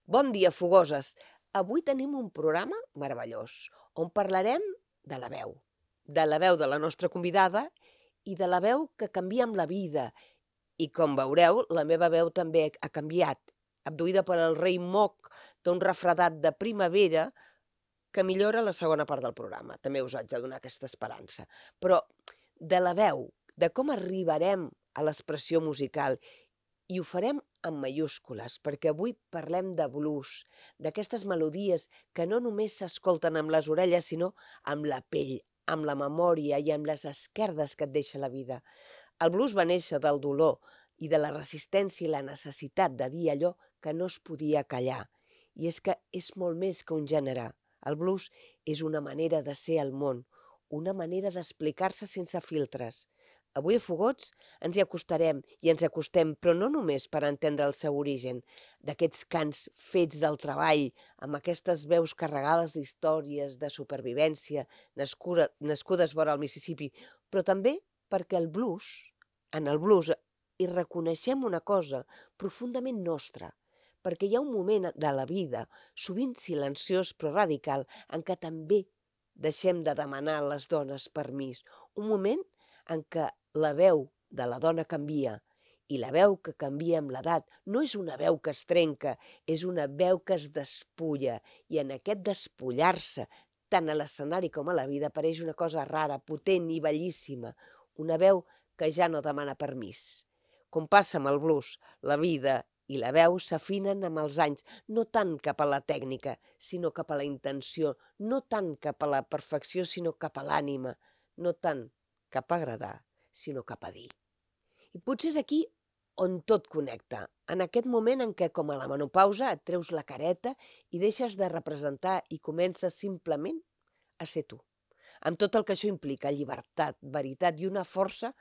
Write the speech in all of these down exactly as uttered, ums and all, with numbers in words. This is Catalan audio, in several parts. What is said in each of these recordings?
Bon dia, fogoses! Avui tenim un programa meravellós, on parlarem de la veu, de la veu de la nostra convidada i de la veu que canvia amb la vida. I com veureu, la meva veu també ha canviat, abduïda per el rei moc d'un refredat de primavera que millora la segona part del programa. També us haig de donar aquesta esperança. Però de la veu, de com arribarem a l'expressió musical, i ho farem en mayúscules, perquè avui parlem de blues, d'aquestes melodies que no només s'escolten amb les orelles, sinó amb la pell, amb la memòria i amb les esquerdes que et deixa la vida. El blues va néixer del dolor i de la resistència i la necessitat de dir allò que no es podia callar. I és que és molt més que un gènere. El blues és una manera de ser al món, una manera d'explicar-se sense filtres. Avui a Fogots ens hi acostarem i ens acostem, però no només per entendre el seu origen, d'aquests cants fets del treball, amb aquestes veus carregades d'històries, de supervivència, nascuda, nascudes vora el Mississippi, però també perquè el blues, en el blues, hi reconeixem una cosa profundament nostra, perquè hi ha un moment de la vida, sovint silenciós però radical, en què també deixem de demanar a les dones permís. Un moment en què la veu de la dona canvia, i la veu que canvia amb l'edat no és una veu que es trenca, és una veu que es despulla, i en aquest despullar-se, tant a l'escenari com a la vida, apareix una cosa rara, potent i bellíssima, una veu que ja no demana permís. Com passa amb el blues, la vida i la veu s'afinen amb els anys, no tant cap a la tècnica, sinó cap a la intenció, no tant cap a la perfecció, sinó cap a l'ànima, no tant cap a agradar, sinó cap a dir. I potser és aquí on tot connecta, en aquest moment en què, com a la menopausa, et treus la careta i deixes de representar i comences simplement a ser tu, amb tot el que això implica, llibertat, veritat i una força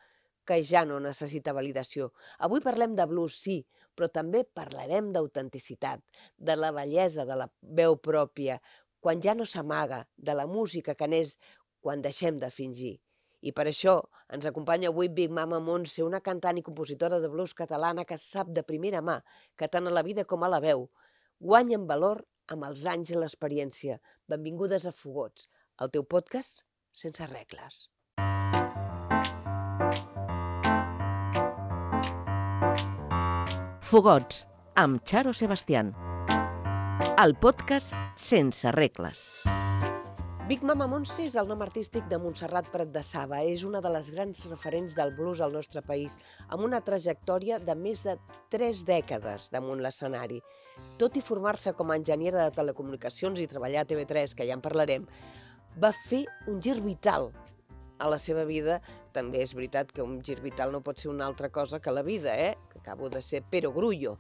que ja no necessita validació. Avui parlem de blues, sí, però també parlarem d'autenticitat, de la bellesa de la veu pròpia, quan ja no s'amaga, de la música que n'és quan deixem de fingir. I per això ens acompanya avui Big Mama Montse, una cantant i compositora de blues catalana que sap de primera mà que tant a la vida com a la veu guanya en valor amb els anys i l'experiència. Benvingudes a Fogots, el teu podcast sense regles. Fogots, amb Charo Sebastián. El podcast sense regles. Big Mama Montse és el nom artístic de Montserrat Prat de Saba. És una de les grans referents del blues al nostre país, amb una trajectòria de més de tres dècades damunt l'escenari. Tot i formar-se com a enginyera de telecomunicacions i treballar a T V tres, que ja en parlarem, va fer un gir vital a la seva vida. També és veritat que un gir vital no pot ser una altra cosa que la vida, eh? Que acabo de ser perogrullo,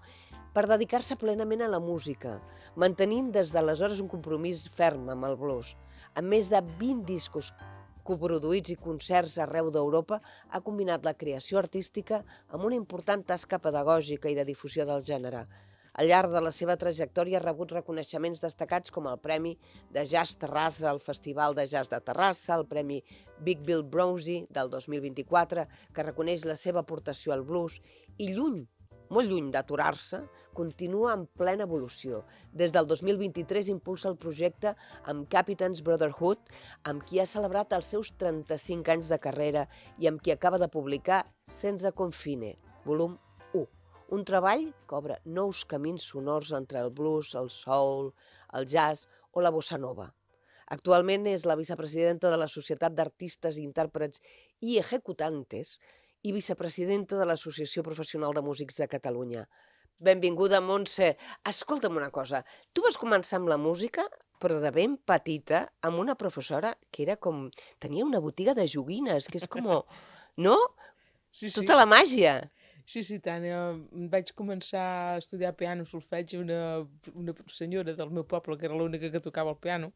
per dedicar-se plenament a la música, mantenint des d'aleshores un compromís ferm amb el blues. Amb més de vint discos coproduïts i concerts arreu d'Europa, ha combinat la creació artística amb una important tasca pedagògica i de difusió del gènere. Al llarg de la seva trajectòria ha rebut reconeixements destacats com el Premi de Jazz Terrassa al Festival de Jazz de Terrassa, el Premi Big Bill Brownzy del dos mil vint-i-quatre, que reconeix la seva aportació al blues, i lluny, molt lluny d'aturar-se, continua en plena evolució. Des del dos mil vint-i-tres impulsa el projecte amb Captain's Brotherhood, amb qui ha celebrat els seus trenta-cinc anys de carrera i amb qui acaba de publicar Sense Confine, volum u. Un treball que obre nous camins sonors entre el blues, el soul, el jazz o la bossa nova. Actualment és la vicepresidenta de la Societat d'Artistes i Intèrprets i Ejecutantes i vicepresidenta de l'Associació Professional de Músics de Catalunya. Benvinguda, Montse. Escolta'm una cosa, tu vas començar amb la música, però de ben petita, amb una professora que era com... tenia una botiga de joguines, que és com... no? Sí, sí. Tota la màgia. Sí, sí, tant. Jo vaig començar a estudiar piano, solfeig, una, una senyora del meu poble, que era l'única que tocava el piano,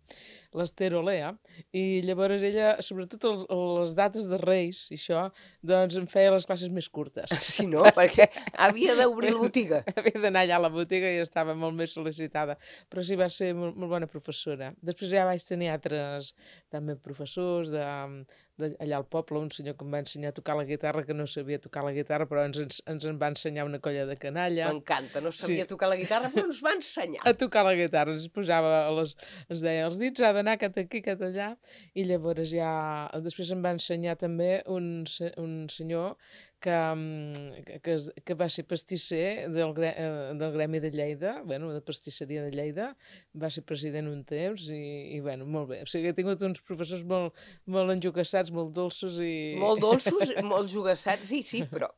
l'Ester Olea, i llavors ella, sobretot el, les dates de Reis, i això, doncs em feia les classes més curtes. Sí, no? Perquè havia d'obrir la botiga. Havia d'anar allà a la botiga i estava molt més sol·licitada, però sí va ser molt, molt bona professora. Després ja vaig tenir altres també professors de, allà al poble, un senyor que em va ensenyar a tocar la guitarra, que no sabia tocar la guitarra, però ens, ens, ens en va ensenyar una colla de canalla. M'encanta, no sabia Sí. tocar la guitarra, però ens va ensenyar. A tocar la guitarra, ens posava, a les, ens deia, els dits ha d'anar cap aquí, cap allà, i llavors ja, després em va ensenyar també un, se- un senyor que, mm, que, que, es- que va ser pastisser del, gre- eh, del Gremi de Lleida, bueno, de pastisseria de Lleida, va ser president un temps i, i bueno, molt bé. O sigui, he tingut uns professors molt, molt enjogassats, molt dolços i... Molt dolços, molt jugassats, sí, sí, però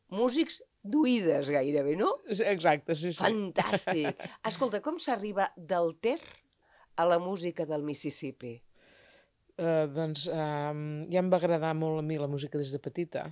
músics d'oïdes gairebé, no? Exacte, sí, sí. Fantàstic. Escolta, com s'arriba del Ter a la música del Mississippi? Uh, doncs um, ja em va agradar molt a mi la música des de petita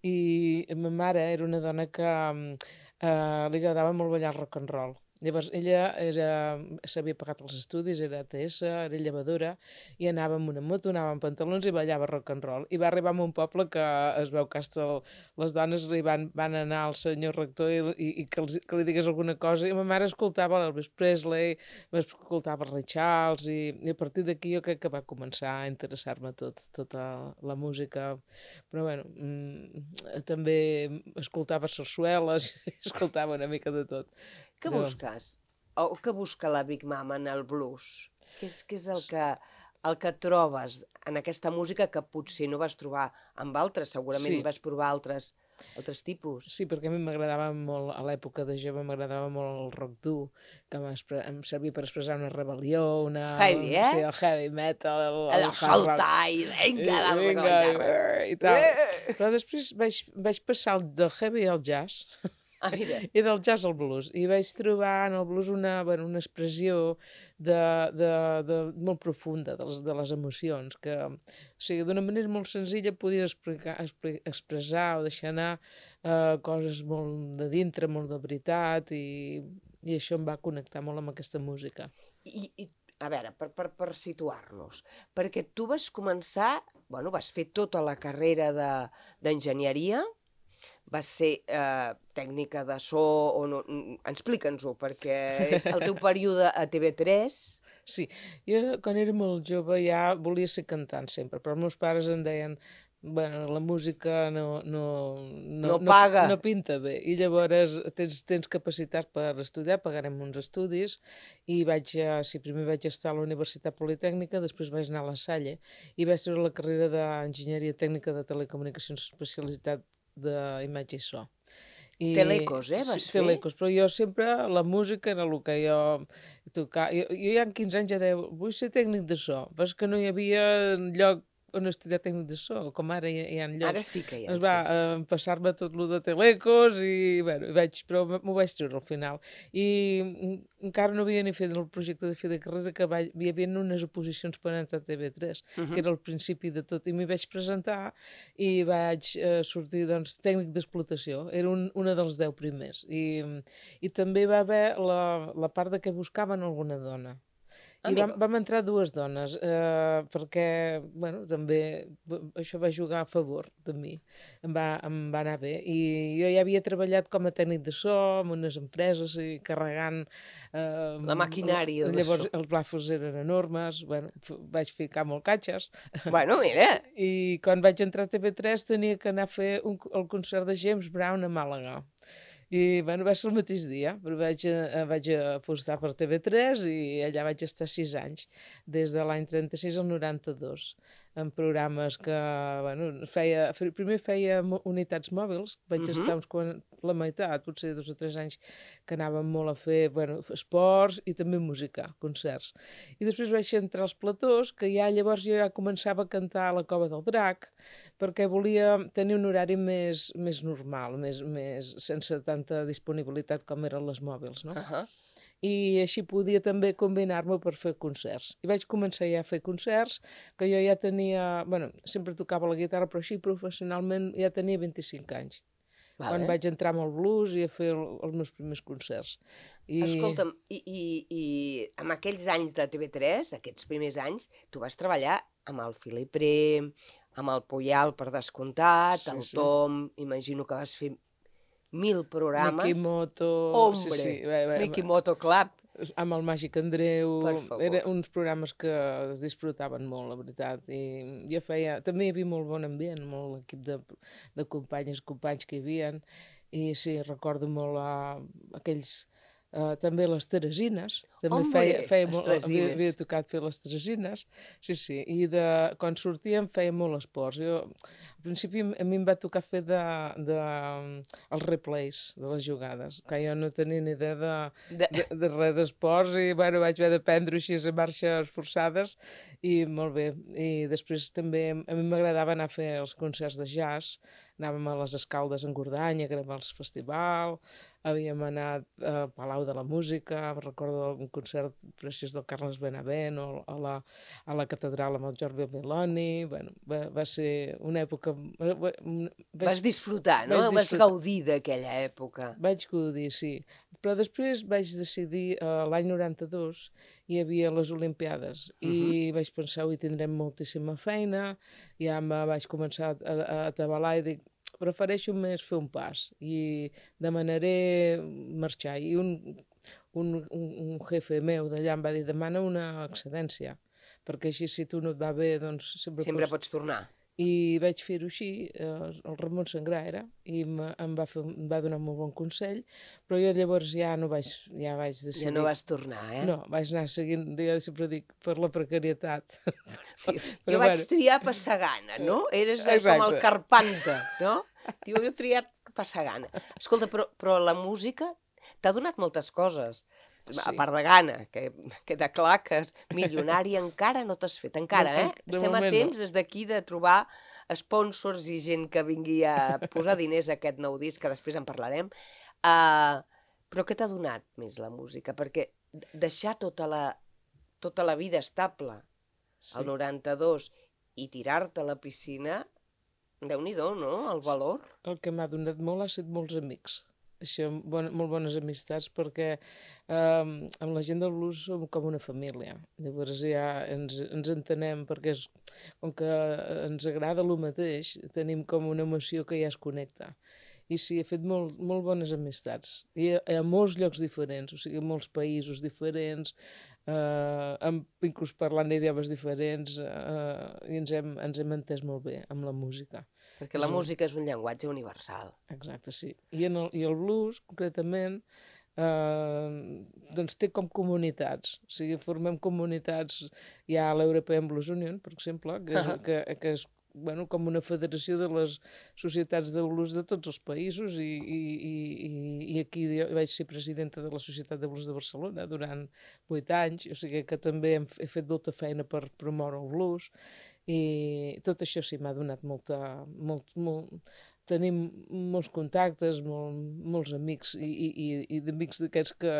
i ma mare era una dona que um, uh, li agradava molt ballar el rock and roll. Llavors ella era, s'havia pagat els estudis, era A T S, era llevadora i anava amb una moto, anava amb pantalons i ballava rock and roll. I va arribar a un poble que es veu que hasta el, les dones li van, van anar al senyor rector i, i, i que, els, que li digués alguna cosa i ma mare escoltava l'Elvis Presley, escoltava Ray Charles i, i a partir d'aquí jo crec que va començar a interessar-me tot, tota la música. Però bueno, mm, també escoltava sarsueles, escoltava una mica de tot. Què Però- busques? O què busca la Big Mama en el blues? Què és, què és el, que, el que trobes en aquesta música que potser no vas trobar amb altres? Segurament Sí. vas provar altres, altres tipus. Sí, perquè a mi m'agradava molt, a l'època de jove m'agradava molt el rock dur, que m'expre- em servia per expressar una rebel·lió, una... Heavy, eh? Sí, el heavy metal, el, El el hard rock. saltar i vinga, I- dalt vinga, la guitarra. i, i tal. Eh! Però després vaig, vaig passar del heavy al jazz, Ah, mira, i del jazz al blues, i vaig trobar en el blues una, bueno, una expressió de, de, de, molt profunda de les, de les emocions, que o sigui, d'una manera molt senzilla podies explicar, expli- expressar o deixar anar eh, coses molt de dintre, molt de veritat, i, i això em va connectar molt amb aquesta música. I, i a veure, per, per, per situar-nos, perquè tu vas començar, bueno, vas fer tota la carrera de- d'enginyeria, vas ser eh, tècnica de so, o no, mm, explica'ns-ho, perquè és el teu període a T V tres. Sí, jo quan era molt jove ja volia ser cantant sempre, però els meus pares em deien bueno, la música no, no, No paga. no, no pinta bé, i llavors tens, tens capacitat per estudiar, pagarem uns estudis, i vaig, a, sí, primer vaig estar a la Universitat Politècnica, després vaig anar a la Salle, i vaig treure la carrera d'Enginyeria Tècnica de Telecomunicacions, especialitat d'imatge i so. I, Telecos, eh, vas sí, fer? Telecos, però jo sempre, la música era el que jo tocava. Jo, jo ja amb quinze anys ja deia, vull ser tècnic de so, però és que no hi havia lloc on estudiar tècnic de so, com ara hi, hi ha llocs. Ara sí que hi ha. Doncs va, eh, passar-me tot lo de Telecos i, bueno, vaig, però m'ho vaig treure al final. I mm, encara no havia ni fet el projecte de fi de carrera, que va, hi havia unes oposicions per entrar a T V tres, Uh -huh. que era el principi de tot, i m'hi vaig presentar i vaig eh, sortir, doncs, tècnic d'explotació. Era un, una dels deu primers. I, i també va haver la, la part de que buscaven alguna dona. I Amigo. vam, vam entrar dues dones, eh, perquè, bueno, també b- això va jugar a favor de mi, em va, em va anar bé. I jo ja havia treballat com a tècnic de so en unes empreses i carregant... Eh, La maquinària de Llavors so. els plafos eren enormes, bueno, f- vaig ficar molt catxes. Bueno, mira, I quan vaig entrar a T V tres tenia que anar a fer un, el concert de James Brown a Màlaga. I bueno, va ser el mateix dia, però vaig, eh, vaig apostar per T V tres i allà vaig estar sis anys, des de l'any trenta-sis al noranta-dos, en programes que, bueno, feia, fe- primer feia mo- unitats mòbils, vaig Mhm. estar uns quan, la meitat, potser dos o tres anys, que anàvem molt a fer, bueno, f- esports i també música, concerts. I després vaig entrar als platós, que ja llavors jo ja començava a cantar a la Cova del Drac, perquè volia tenir un horari més, més normal, més, més, sense tanta disponibilitat com eren les mòbils, no? uh -huh. I així podia també combinar-me per fer concerts. I vaig començar ja a fer concerts, que jo ja tenia... bueno, sempre tocava la guitarra, però així professionalment ja tenia vint-i-cinc anys. vale. Quan vaig entrar amb el blues i a fer el, els meus primers concerts. I... Escolta'm, i, i, i amb aquells anys de T V tres, aquests primers anys, tu vas treballar amb el Philip Rem, amb el Puyal, per descomptat, Sí, el sí. Tom, imagino que vas fer mil programes. Mikimoto... Hombre, Sí, sí. Bé, bé, Mikimoto Club. amb el Màgic Andreu, Per favor. eren uns programes que es disfrutaven molt, la veritat, i jo feia, també hi havia molt bon ambient, molt equip de, de companyes, companys que hi havia, i sí, recordo molt uh, aquells, uh, també les Teresines, també Hombre, feia, feia les molt, havia, Teresines. havia tocat fer les Teresines, sí, sí, i de, quan sortíem feia molt esports, jo, al principi a mi em va tocar fer de, de, els replays de les jugades, que jo no tenia ni idea de, De... de, de res d'esports i bueno, vaig haver d'aprendre així a marxes forçades i molt bé. I després també a mi m'agradava anar a fer els concerts de jazz, anàvem a les Escaldes en Gordany, a gravar el festival, havíem anat al Palau de la Música, recordo un concert preciós del Carles Benavent, o a la, a la catedral amb el Jordi Meloni, bueno, va, va ser una època... Vaig, Vas disfrutar, no? vaig Vas disfrutar. gaudir d'aquella època. Vaig gaudir, sí. Però després vaig decidir, uh, l'any noranta-dos hi havia les Olimpiades i Mhm. vaig pensar, avui tindrem moltíssima feina, ja me vaig començar a, a atabalar i dic, prefereixo més fer un pas i demanaré marxar. I un, un, un, un jefe meu d'allà em va dir, demana una excedència, perquè així si tu no et va bé, doncs sempre, Sempre pots... pots tornar. I vaig fer-ho així, eh, el Ramon Sangrà era, i me, em, va fer, em va donar un molt bon consell, però jo llavors ja no vaig, ja vaig decidir... Ja no vas tornar, eh? No, vaig anar seguint, jo sempre dic, per la precarietat. Sí. Però Jo vaig bueno. triar passar gana, no? Eres eh, com el Exacte. Carpanta, no? Diu, jo he triat passar gana. Escolta, però, però la música t'ha donat moltes coses. Sí. A part de gana, que queda clar que milionari encara no t'has fet, encara, De- eh? de Estem a moment no. temps des d'aquí de trobar sponsors i gent que vingui a posar diners a aquest nou disc, que després en parlarem. Uh, però què t'ha donat més la música? Perquè deixar tota la, tota la vida estable Sí. al noranta-dos i tirar-te a la piscina, Déu-n'hi-do, no?, el valor. El que m'ha donat molt ha estat molts amics. Això, bon, molt bones amistats, perquè eh, amb la gent del blues som com una família. Llavors ja ens, ens entenem, perquè és, com que ens agrada el mateix, tenim com una emoció que ja es connecta. I sí, he fet molt, molt bones amistats. I a, a molts llocs diferents, o sigui, a molts països diferents, eh, amb, inclús parlant idiomes diferents, eh, i ens hem, ens hem entès molt bé amb la música. Perquè la És un- música és un llenguatge universal. Exacte, sí. I, en el, i el blues, concretament, eh, doncs té com comunitats. O sigui, formem comunitats, hi ha l'European Blues Union, per exemple, que és, que, que és bueno, com una federació de les societats de blues de tots els països, i, i, i, i aquí jo vaig ser presidenta de la Societat de Blues de Barcelona durant vuit anys, o sigui que també hem, he fet molta feina per promoure el blues, i tot això sí m'ha donat molta... Molt, molt, tenim molts contactes, molt, molts amics, i, i, i, i d'amics d'aquests que,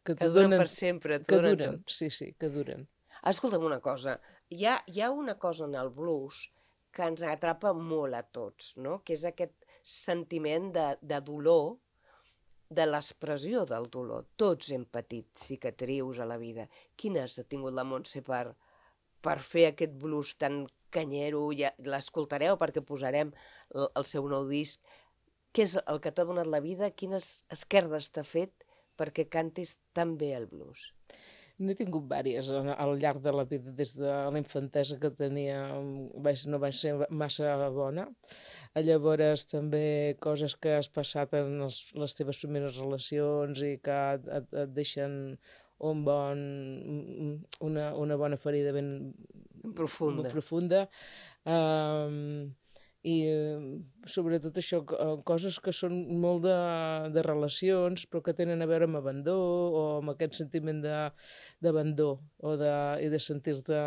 que, Que duren per sempre, que duren duren, tot. sí, sí, que duren. Escolta'm una cosa, hi ha, hi ha una cosa en el blues que ens atrapa molt a tots, no? Que és aquest sentiment de, de dolor, de l'expressió del dolor. Tots hem patit cicatrius a la vida. Quines ha tingut la Montse per, per fer aquest blues tan canyero? Ja l'escoltareu perquè posarem el, el seu nou disc. Què és el que t'ha donat la vida? Quines esquerdes t'ha fet perquè cantis tan bé el blues? N'he tingut vàries al llarg de la vida, des de la infantesa que tenia, vaig, no vaig ser massa bona. Llavors també coses que has passat en els, les teves primeres relacions i que et, et, et deixen un bon, una, una bona ferida ben Profunda. molt profunda. Um, i sobretot això, coses que són molt de, de relacions però que tenen a veure amb abandó o amb aquest sentiment d'abandó o de, i de sentir-te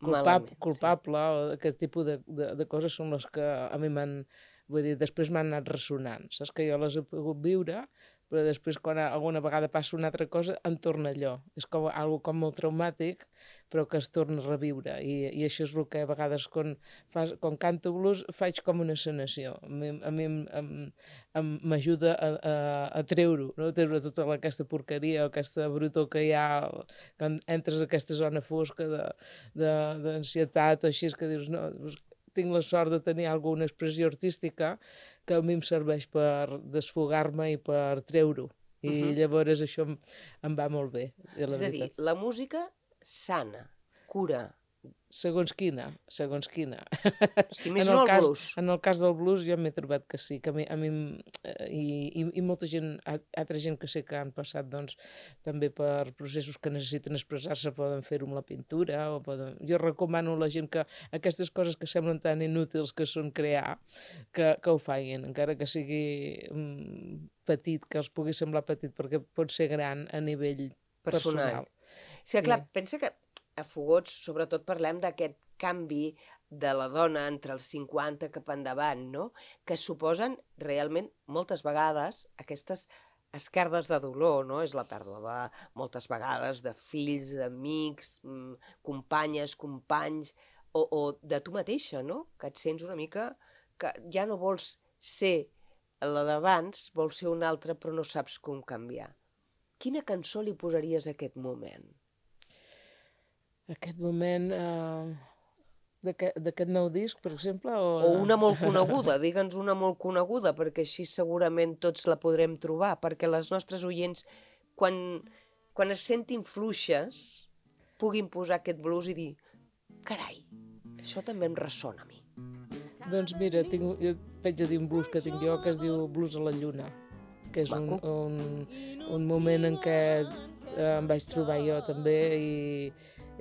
culpable, Malament, culpable sí. O aquest tipus de, de, de coses són les que a mi m'han, vull dir, després m'han anat ressonant, saps que jo les he pogut viure, però després quan alguna vegada passa una altra cosa em torna allò, és com algo com molt traumàtic però que es torna a reviure, i, i això és el que a vegades quan, fas, quan canto blues faig com una sanació, a mi, a mi m'ajuda a, a, a treure-ho, no? Treure tota aquesta porqueria o aquesta brutor que hi ha quan entres a aquesta zona fosca d'ansietat o així, que dius, no, doncs, tinc la sort de tenir alguna expressió artística que a mi em serveix per desfogar-me i per treure-ho. I Mhm. llavors això em, em va molt bé, de la És a dir, veritat. la música sana, cura. Segons quina, segons quina. Si més En no el el cas, blues. en el cas del blues jo m'he trobat que sí, que a mi, a mi em- eh, i, i, i molta gent, a- altra gent que sé que han passat doncs, també per processos que necessiten expressar-se, poden fer-ho amb la pintura, o poden... Jo recomano a la gent que aquestes coses que semblen tan inútils que són crear, que, que ho facin, encara que sigui mm, petit, que els pugui semblar petit, perquè pot ser gran a nivell Personal. personal. És que, clar, Sí. pensa que a Fogots, sobretot, parlem d'aquest canvi de la dona entre els cinquanta cap endavant, no? Que suposen realment, moltes vegades, aquestes esquerdes de dolor, no? És la pèrdua de, moltes vegades, de fills, amics, mm, companyes, companys, o, o de tu mateixa, no? Que et sents una mica que ja no vols ser la d'abans, vols ser una altra, però no saps com canviar. Quina cançó li posaries a aquest moment? Aquest moment eh, d'aquest d'aquest nou disc, per exemple? O, O una molt coneguda, digue'ns una molt coneguda, perquè així segurament tots la podrem trobar, perquè les nostres oients, quan, quan es sentin fluixes, puguin posar aquest blues i dir carai, això també em ressona a mi. Doncs mira, tinc, jo vaig a dir un blues que tinc jo, que es diu Blues a la Lluna, que és un, Maco. un, un moment en què eh, em vaig trobar jo també i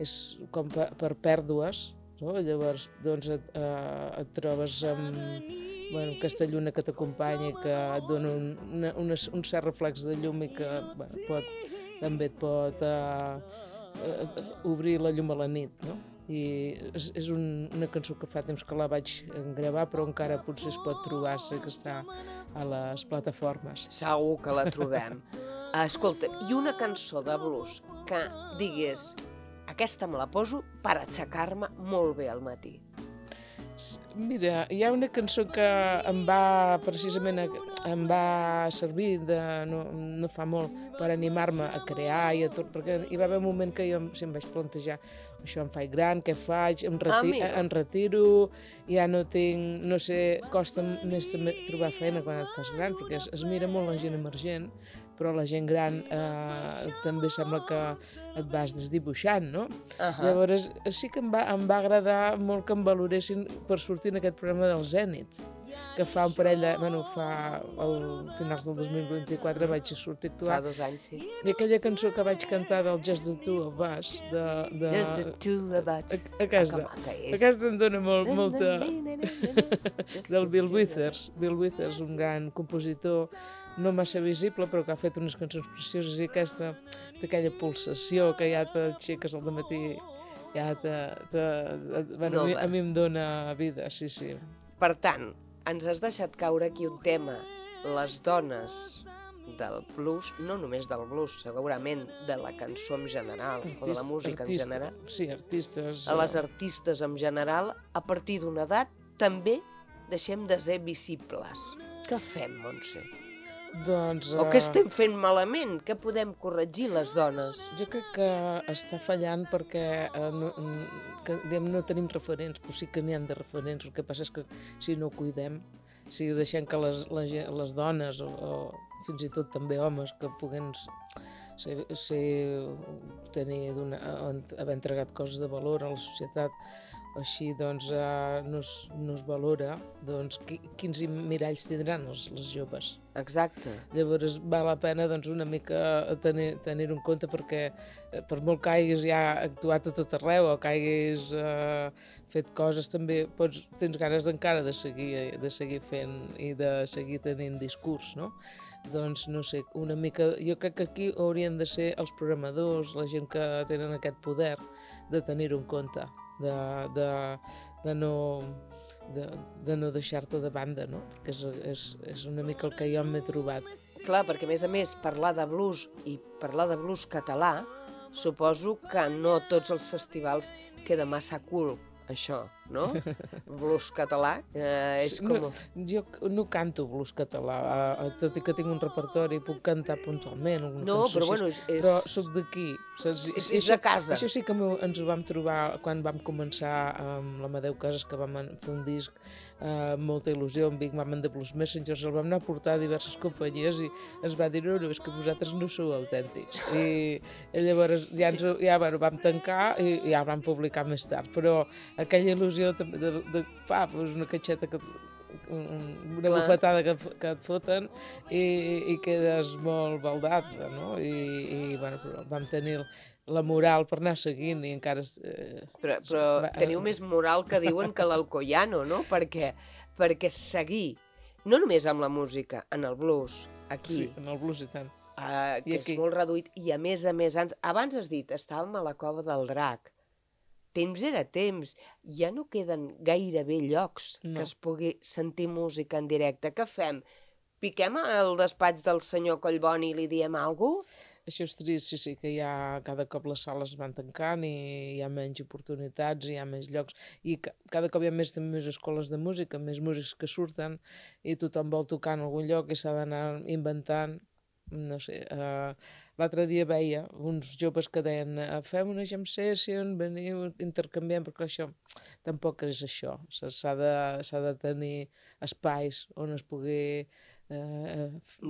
és com per, per pèrdues, no? Llavors doncs et, eh, et trobes amb bueno, aquesta lluna que t'acompanya i que et dona un, una, una, un cert reflex de llum i que bueno, pot, també et pot eh, eh, obrir la llum a la nit, no? I és, és un, una cançó que fa temps que la vaig gravar, però encara potser es pot trobar, sé que està a les plataformes. Segur que la trobem. Escolta, i una cançó de blues que digués aquesta me la poso per aixecar-me molt bé al matí. Mira, hi ha una cançó que em va precisament em va servir de, no, no fa molt per animar-me a crear i a tot, perquè hi va haver un moment que jo em, em vaig plantejar això em faig gran, què faig, em, reti Amiga. em retiro, ja no tinc, no sé, costa més també trobar feina quan et fas gran, perquè es, es mira molt la gent emergent, però la gent gran eh, també sembla que et vas desdibuixant, no? Uh -huh. Llavors sí que em va, em va agradar molt que em valoressin per sortir en aquest programa del Zènit, que fa un parell de... Bueno, fa... al finals del dos mil vint-i-quatre vaig sortir a Fa actuar. dos anys, sí. I aquella cançó que vaig cantar del Just the Two of Us, de... de... Just the two of us. A- aquesta. Ah, que maca és. Aquesta em dona molt, molta... Just del the Bill two of Withers. Bill Withers, un gran compositor, no massa visible, però que ha fet unes cançons precioses, i aquesta, d'aquella pulsació que ja t'aixeques al matí, ja te... te bueno, a, mi, Nova. a mi em dona vida, sí, sí. Per tant, ens has deixat caure aquí un tema, les dones del blues, no només del blues, segurament de la cançó en general, o de la Artist- música en artista- general, Sí, artistes... a les eh, artistes en general, a partir d'una edat, també deixem de ser visibles. Què fem, Montse? Doncs... O eh, què estem fent malament? Què podem corregir les dones? Jo crec que està fallant perquè eh, no, mm, que, diguem, no tenim referents, però sí que n'hi ha de referents. El que passa és que si no ho cuidem, si deixem que les, la, gent- les dones o, o fins i tot també homes que puguen ser, ser tenir d'una, haver entregat coses de valor a la societat, així doncs eh, no, es, no es valora, doncs qui, quins miralls tindran els, les joves? Exacte. Llavors val la pena doncs, una mica tenir- tenir-ho en compte perquè eh, per molt que hagis ja actuat a tot arreu o que hagis eh, fet coses també pots, tens ganes encara de seguir, de seguir fent i de seguir tenint discurs, no? Doncs no sé, una mica... Jo crec que aquí haurien de ser els programadors, la gent que tenen aquest poder de tenir-ho en compte, de, de, de no... de, de no deixar-te de banda, no? Perquè és, és, és una mica el que jo m'he trobat. Clar, perquè a més a més parlar de blues i parlar de blues català, suposo que no a tots els festivals queda massa cool, això. no? Blues català, eh, és com... No, jo no canto blues català, eh, tot i que tinc un repertori, puc cantar puntualment alguna No, cançó però així, bueno, és... és... però soc d'aquí. saps? És, I és de casa. Això sí que m'ho- ens ho vam trobar quan vam començar amb l'Amadeu Casas, que vam fer un disc eh, amb molta il·lusió, amb Big Mama and the Blues Messengers, el vam anar a portar a diverses companyies i ens va dir, no, no, és que vosaltres no sou autèntics. I, i llavors ja, ens, ho- ja bueno, vam tancar i, i ja el vam publicar més tard, però aquella il·lusió també de, de, de fa, doncs una catxeta que un- una Clar. bufetada que, f- que et foten i, i quedes molt baldat, no? I, i bueno, però vam tenir la moral per anar seguint i encara... Eh, Però, però va- teniu més moral que diuen que l'Alcoyano, no? Perquè, perquè seguir, no només amb la música, en el blues, aquí, sí, en el blues i tant. uh, que I és aquí. molt reduït, i a més a més, ans, abans has dit, estàvem a la Cova del Drac, temps era temps, ja no queden gairebé llocs No. que es pugui sentir música en directe. Què fem? Piquem al despatx del senyor Collboni i li diem alguna cosa? Això és trist, sí, sí, que ja cada cop les sales es van tancant i hi ha menys oportunitats, hi ha més llocs i ca cada cop hi ha més, també més escoles de música, més músics que surten i tothom vol tocar en algun lloc i s'ha d'anar inventant, no sé, uh, l'altre dia veia uns joves que deien uh, fem una jam session, veniu, intercanviem, perquè això tampoc és això, s'ha de, s'ha de tenir espais on es pugui eh,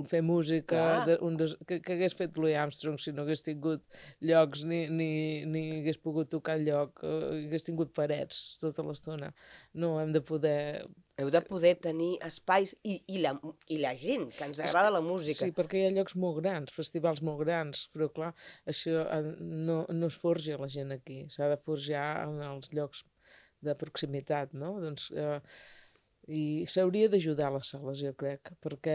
fer música Clar. de, un des, que, que hagués fet Louis Armstrong si no hagués tingut llocs ni, ni, ni hagués pogut tocar lloc, eh, hagués tingut parets tota l'estona. No, hem de poder... Heu de poder tenir espais i, i, la, i la gent que ens agrada la música. Sí, perquè hi ha llocs molt grans, festivals molt grans, però clar, això eh, no, no es forja la gent aquí, s'ha de forjar en els llocs de proximitat, no? Doncs... Eh, i s'hauria d'ajudar les sales, jo crec, perquè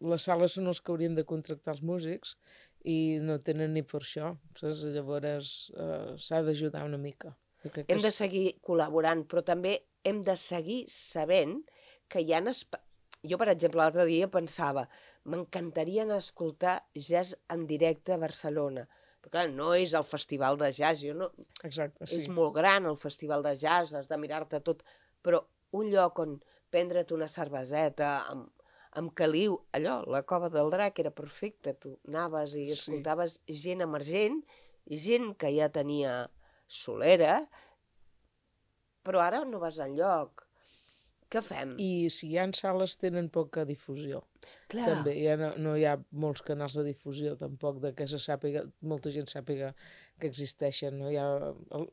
les sales són els que haurien de contractar els músics i no tenen ni per això, saps? Llavors eh, s'ha d'ajudar una mica. Jo crec que Hem de és- seguir col·laborant, però també hem de seguir sabent que hi ha... Espa... Jo, per exemple, l'altre dia pensava, m'encantaria anar a escoltar jazz en directe a Barcelona. Però clar, no és el festival de jazz, jo no... Exacte, és sí. molt gran el festival de jazz, has de mirar-te tot, però un lloc on prendre't una cerveseta amb, amb caliu, allò, la Cova del Drac era perfecta, tu anaves i Sí. escoltaves gent emergent, gent que ja tenia solera, però ara no vas enlloc. Què fem? I si hi ha sales tenen poca difusió. Clar, També ja no, no hi ha molts canals de difusió tampoc de que se sàpiga, molta gent sàpiga que existeixen. No? Hi ha, el,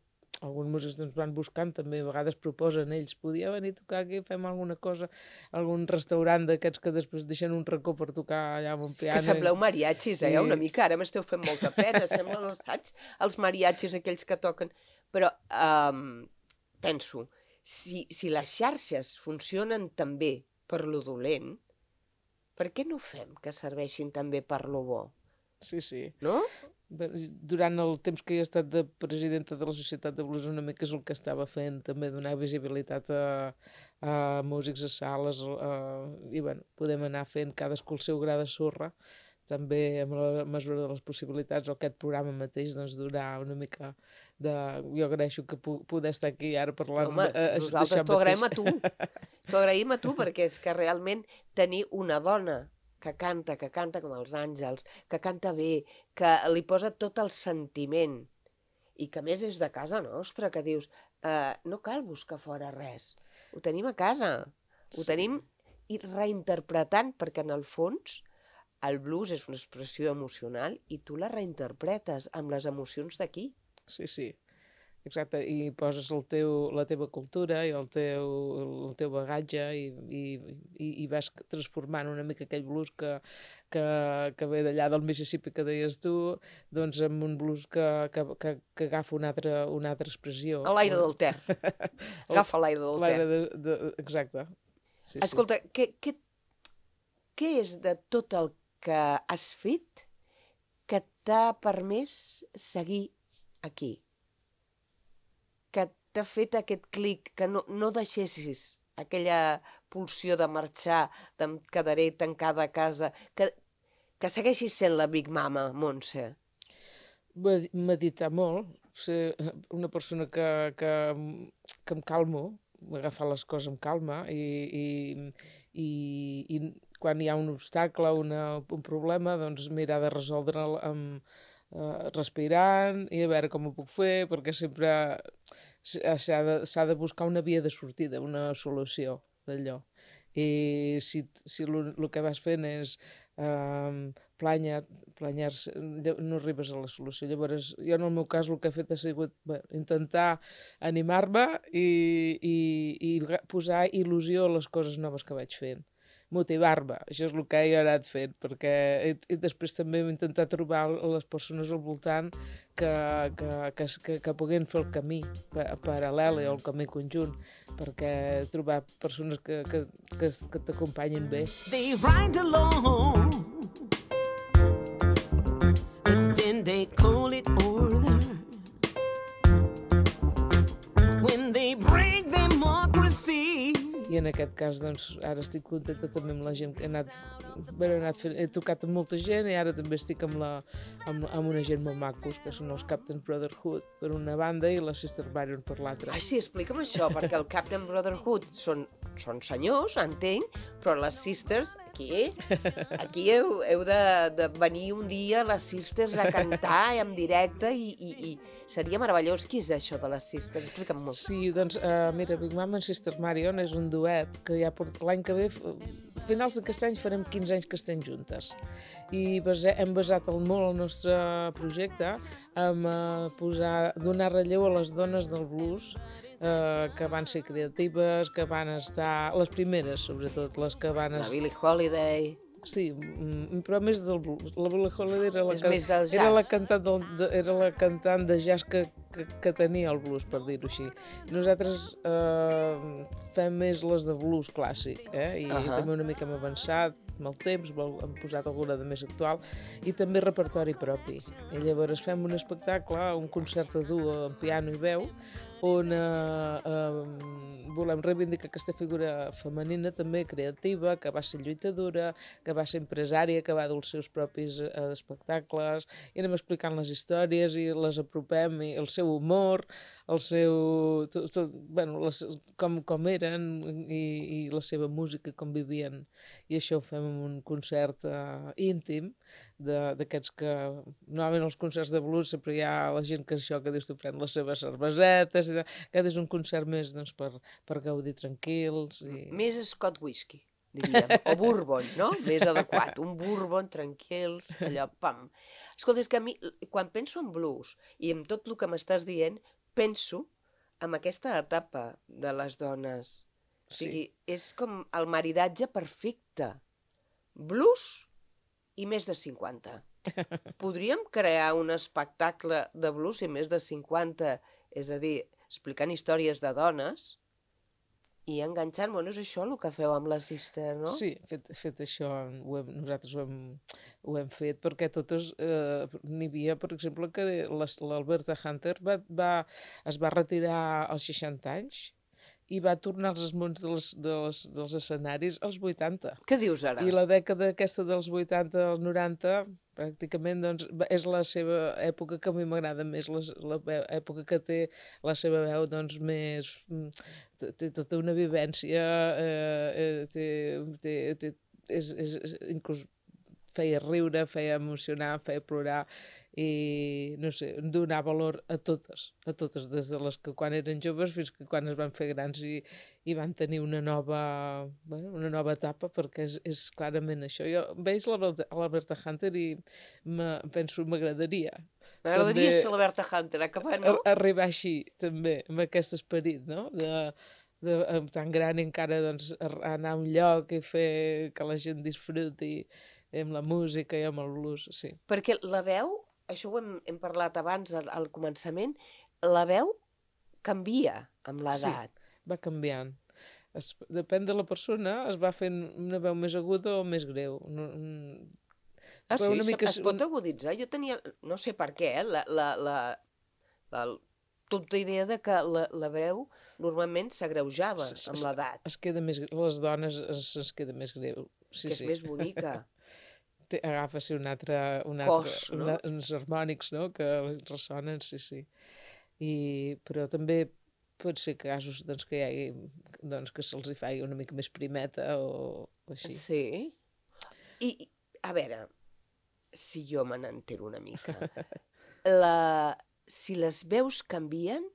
alguns músics doncs, van buscant, també a vegades proposen ells, podia venir a tocar aquí, fem alguna cosa, algun restaurant d'aquests que després deixen un racó per tocar allà amb un piano. que sembleu mariachis, eh? Sí. Una mica, ara m'esteu fent molta pena, semblen els, saps? Els mariachis aquells que toquen. Però um, penso, si, si les xarxes funcionen també per lo dolent, per què no fem que serveixin també per lo bo? Sí, sí. No? Durant el temps que he estat de presidenta de la Societat de Blues una mica és el que estava fent, també donar visibilitat a, a músics, a sales, a, i bueno, podem anar fent cadascú el seu gra de sorra, també amb la mesura de les possibilitats, o aquest programa mateix, doncs donar una mica de... Jo agraeixo que pu poder estar aquí ara parlant Home, de- eh, nosaltres d'això t'ho agraïm a mateix. tu. T'ho agraïm a tu perquè és que realment tenir una dona que canta, que canta com els àngels, que canta bé, que li posa tot el sentiment i que a més és de casa nostra, que dius, eh, no cal buscar fora res, ho tenim a casa, ho Sí. tenim i reinterpretant, perquè en el fons el blues és una expressió emocional i tu la reinterpretes amb les emocions d'aquí. Sí, sí, exacte, i poses el teu, la teva cultura i el teu, el teu bagatge i, i, i, i vas transformant una mica aquell blues que, que, que ve d'allà del Mississippi que deies tu, doncs en un blues que, que, que, que agafa una altra, una altra expressió. A l'aire del Ter. Agafa l'aire del Ter. L'aire de, de, exacte. Sí, Escolta, què, què, què és de tot el que has fet que t'ha permès seguir aquí? Que t'ha fet aquest clic, que no, no deixessis aquella pulsió de marxar, de em quedaré tancada a casa, que, que segueixis sent la Big Mama, Montse. sí. Meditar molt, ser una persona que, que que em calmo, agafar les coses amb calma i, i, i, i quan hi ha un obstacle, una, un problema, doncs mirar de resoldre'l amb, uh, respirant i a veure com ho puc fer, perquè sempre s'ha de, s'ha de buscar una via de sortida, una solució d'allò. I si, si el que vas fent és uh, planya, planyar-se, no arribes a la solució. Llavors, jo en el meu cas el que he fet ha sigut bé, intentar animar-me i, i, i posar il·lusió a les coses noves que vaig fent. Motivar-me, això és el que he anat fent, perquè i, i després també hem intentat trobar les persones al voltant que, que, que, que, que puguin fer el camí paral·lel o el camí conjunt, perquè trobar persones que, que, que, que t'acompanyin bé. They ride along, and then they call it order. When they break democracy. I en aquest cas, doncs, ara estic contenta també amb la gent que he anat, bé, he, anat fent, he tocat amb molta gent i ara també estic amb, la, amb, amb una gent molt macos, que són els Captain Brotherhood per una banda i la Sister Marion per l'altra. Ah, sí, explica'm això, perquè el Captain Brotherhood són, són senyors, entenc, però les Sisters, aquí, aquí heu, heu de, de venir un dia les Sisters a cantar en directe i, i, i seria meravellós. Qui és això de les Sisters? Explica'm molt. Sí, doncs, uh, mira, Big Mama and Sister Marion és un duet que ja l'any que ve, a finals d'aquest any farem quinze anys que estem juntes. I base, hem basat el, molt el nostre projecte en uh, posar, donar relleu a les dones del blues uh, que van ser creatives, que van estar, les primeres sobretot, les que van estar... La Billie Holiday... Sí, però més del blues. La Billie Holiday era la, és més del jazz. Era la cantant, del, de, era la cantant de jazz que, que, que tenia el blues, per dir-ho així. Nosaltres eh, fem més les de blues clàssic, eh? I, uh -huh. i també una mica hem avançat amb el temps, hem posat alguna de més actual, i també repertori propi. I llavors fem un espectacle, un concert a duo amb piano i veu, on eh, eh, volem reivindicar aquesta figura femenina també creativa, que va ser lluitadora, que va ser empresària, que va dur els seus propis eh, espectacles, i anem explicant les històries i les apropem, i el seu humor, el seu... Tot, tot, bueno, les, com, com eren i, i la seva música, com vivien. I això ho fem en un concert eh, íntim, d'aquests que... Normalment als concerts de blues sempre hi ha la gent que això, que dius, tu pren les seves cervesetes, i aquest és un concert més doncs, per, per gaudir tranquils. I... Més Scott Whisky, diríem, o Bourbon, no? Més adequat, un Bourbon tranquils, allò, pam. Escolta, és que a mi, quan penso en blues i en tot el que m'estàs dient, penso en aquesta etapa de les dones. O sigui, sí. És com el maridatge perfecte. Blues i més de cinquanta. Podríem crear un espectacle de blues i més de cinquanta, és a dir, explicant històries de dones i enganxant, bueno, és això el que feu amb la Sister, no? Sí, fet, fet això, ho hem, nosaltres ho hem, ho hem fet, perquè totes, eh, n'hi havia, per exemple, que l'Alberta Hunter va, va, es va retirar als seixanta anys i va tornar als esmonts dels, dels, dels escenaris als vuitanta. Què dius ara? I la dècada aquesta dels vuitanta als noranta, pràcticament, doncs, és la seva època que a mi m'agrada més, la, la època que té la seva veu, doncs, més... té tota una vivència, eh, té, té, té, és, és, inclús feia riure, feia emocionar, feia plorar, i no sé, donar valor a totes, a totes, des de les que quan eren joves fins que quan es van fer grans i, i van tenir una nova, bueno, una nova etapa, perquè és, és clarament això. Jo veig l'Alberta Hunter i penso, m'agradaria. M'agradaria ser l'Alberta Hunter, acabant, no? Arribar així, també, amb aquest esperit, no?, de... De, tan gran i encara doncs, anar a un lloc i fer que la gent disfruti amb la música i amb el blues, sí. Perquè la veu, això ho hem, hem parlat abans al, al començament, la veu canvia amb l'edat. Sí, va canviant. Es, depèn de la persona, es va fent una veu més aguda o més greu. No, ah, sí? Una mica... Es pot aguditzar? Jo tenia, no sé per què, eh, la... la, la, la tota idea de que la, la veu normalment s'agreujava amb l'edat. Es queda més... Les dones es, es queda més greu. Sí, que és sí. més bonica. Agafa un altre... Un cos, altre, no? Una, uns harmònics, no?, que ressonen, sí, sí. I, però també pot ser casos doncs, que hi hagi, doncs, que se'ls hi faci una mica més primeta o, o així. Sí. I, a veure, si jo me n'entero una mica, la... si les veus canvien,